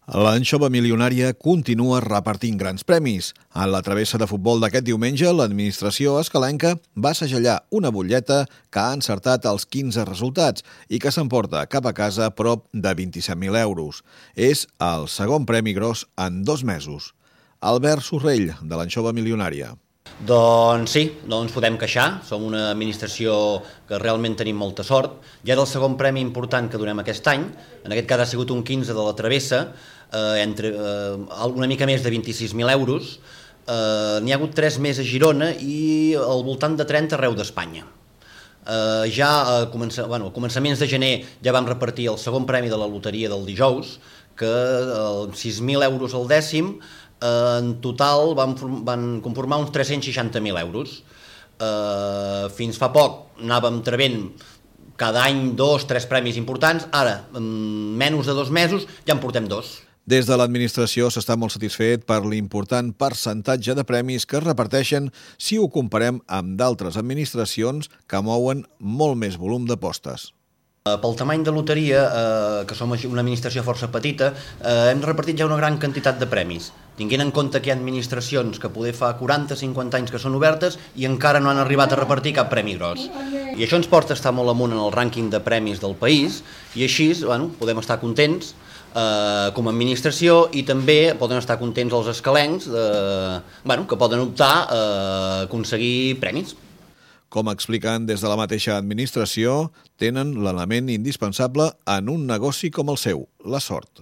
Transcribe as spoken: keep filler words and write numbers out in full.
L'anxova milionària continua repartint grans premis. A la travessa de futbol d'aquest diumenge, l'administració escalenca va segellar una butlleta que ha encertat els quinze resultats i que s'emporta cap a casa prop de vint-i-set mil euros. És el segon premi gros en dos mesos. Albert Sorrell, de l'anxova milionària. Doncs sí, no ens podem queixar, som una administració que realment tenim molta sort. Ja és el segon premi important que donem aquest any, en aquest cas ha sigut un quinze de la travessa, eh, entre, eh, una mica més de vint-i-sis mil euros, eh, n'hi ha hagut tres més a Girona i al voltant de trenta arreu d'Espanya. Eh, ja a, comença, bueno, a començaments de gener ja vam repartir el segon premi de la loteria del dijous, que amb eh, sis mil euros al dècim, en total van, van conformar uns tres-cents seixanta mil euros. Eh, fins fa poc anàvem trebent cada any dos, tres premis importants, ara, en menys de dos mesos, ja en portem dos. Des de l'administració s'està molt satisfet per l'important percentatge de premis que es reparteixen si ho comparem amb d'altres administracions que mouen molt més volum d'apostes. Pel tamany de loteria, eh, que som una administració força petita, eh, hem repartit ja una gran quantitat de premis, tinguent en compte que hi ha administracions que poder fa quaranta o cinquanta anys que són obertes i encara no han arribat a repartir cap premi gros. I això ens porta a estar molt amunt en el rànquing de premis del país i així, bueno, podem estar contents eh, com a administració i també poden estar contents els escalencs eh, bueno, que poden optar a aconseguir premis. Com expliquen des de la mateixa administració, tenen l'element indispensable en un negoci com el seu, la sort.